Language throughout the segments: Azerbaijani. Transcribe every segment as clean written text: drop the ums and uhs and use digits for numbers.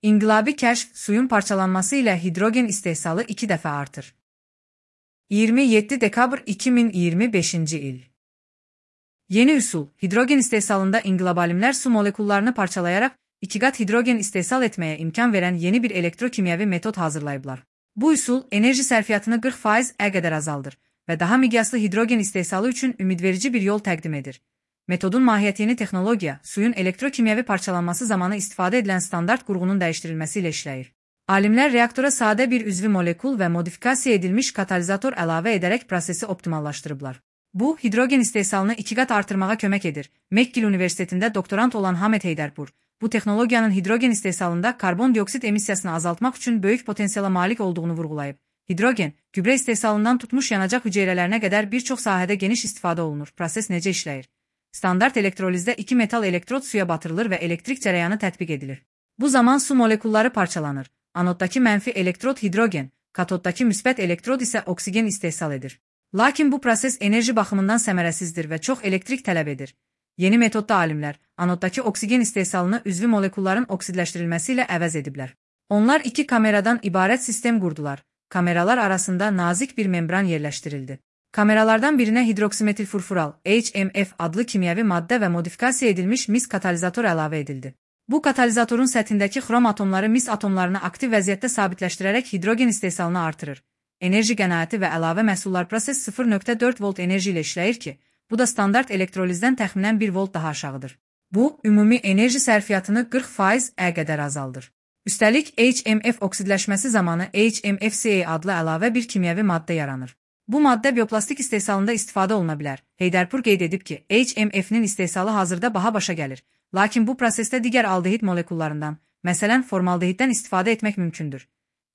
İnqilabi kəşf suyun parçalanması ilə hidrogen istehsalı 2 dəfə artır. 27 dekabr 2025-ci il. Yeni üsul, hidrogen istehsalında inqilab alimlər su molekullarını parçalayarak 2 qat hidrogen istehsal etməyə imkan verən yeni bir elektrokimyəvi metod hazırlayıblar. Bu üsul, enerji sərfiyyatını 40% qədər azaldır və daha miqyaslı hidrogen istehsalı üçün ümidverici bir yol təqdim edir. Metodun mahiyyəti yeni texnologiya, suyun elektrokimyəvi parçalanması zamanı istifadə edilən standart qurğunun dəyişdirilməsi ilə işləyir. Alimlər reaktora sadə bir üzvi molekul və modifikasiya edilmiş katalizator əlavə edərək prosesi optimallaşdırıblar. Bu, hidrogen istehsalını 2 qat artırmağa kömək edir. McGill Universitetində doktorant olan Hamed Heydərpur, bu texnologiyanın hidrogen istehsalında karbon dioksid emissiyasını azaltmaq üçün böyük potensiala malik olduğunu vurğulayıb. Hidrogen, gübrə istehsalından tutmuş yanacaq hüceyrələrinə qədər bir çox sahədə geniş istifadə olunur. Proses necə işləyir? Standart elektrolizdə 2 metal elektrod suya batırılır və elektrik cərəyanı tətbiq edilir. Bu zaman su molekulları parçalanır. Anoddakı mənfi elektrod hidrogen, katoddakı müsbət elektrod isə oksigen istehsal edir. Lakin bu proses enerji baxımından səmərəsizdir və çox elektrik tələb edir. Yeni metodda alimlər, anoddakı oksigen istehsalını üzvi molekulların oksidləşdirilməsi ilə əvəz ediblər. Onlar 2 kameradan ibarət sistem qurdular. Kameralar arasında nazik bir membran yerləşdirildi. Kameralardan birinə hidroksimetilfurfural, HMF adlı kimyəvi maddə və modifikasiya edilmiş mis katalizator əlavə edildi. Bu katalizatorun səthindəki xrom atomları mis atomlarını aktiv vəziyyətdə sabitləşdirərək hidrogen istehsalını artırır. Enerji qənaəti və əlavə məhsullar proses 0.4 volt enerji ilə işləyir ki, bu da standart elektrolizdən təxminən 1 volt daha aşağıdır. Bu, ümumi enerji sərfiyyatını 40% qədər azaldır. Üstəlik, HMF oksidləşməsi zamanı HMFCA adlı əlavə bir kimyəvi maddə yaranır. Bu maddə bioplastik istehsalında istifadə oluna bilər. Heydərpur qeyd edib ki, HMF-nin istehsalı hazırda baha başa gəlir. Lakin bu prosesdə digər aldehid molekullarından, məsələn, formaldehiddən istifadə etmək mümkündür.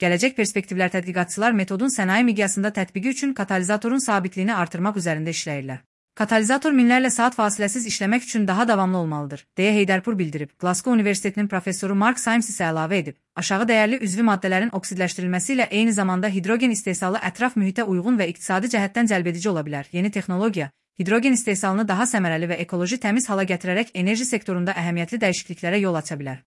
Gələcək perspektivlər tədqiqatçılar metodun sənaye miqyasında tətbiqi üçün katalizatorun sabitliyini artırmaq üzərində işləyirlər. Katalizator minlərlə saat fasiləsiz işləmək üçün daha davamlı olmalıdır, deyə Heydərpur bildirib. Glasgow Universitetinin professoru Mark Symes isə əlavə edib. Aşağı dəyərli üzvi maddələrin oksidləşdirilməsi ilə eyni zamanda hidrogen istehsalı ətraf mühitə uyğun və iqtisadi cəhətdən cəlbedici ola bilər. Yeni texnologiya, hidrogen istehsalını daha səmərəli və ekoloji təmiz hala gətirərək enerji sektorunda əhəmiyyətli dəyişikliklərə yol aça bilər.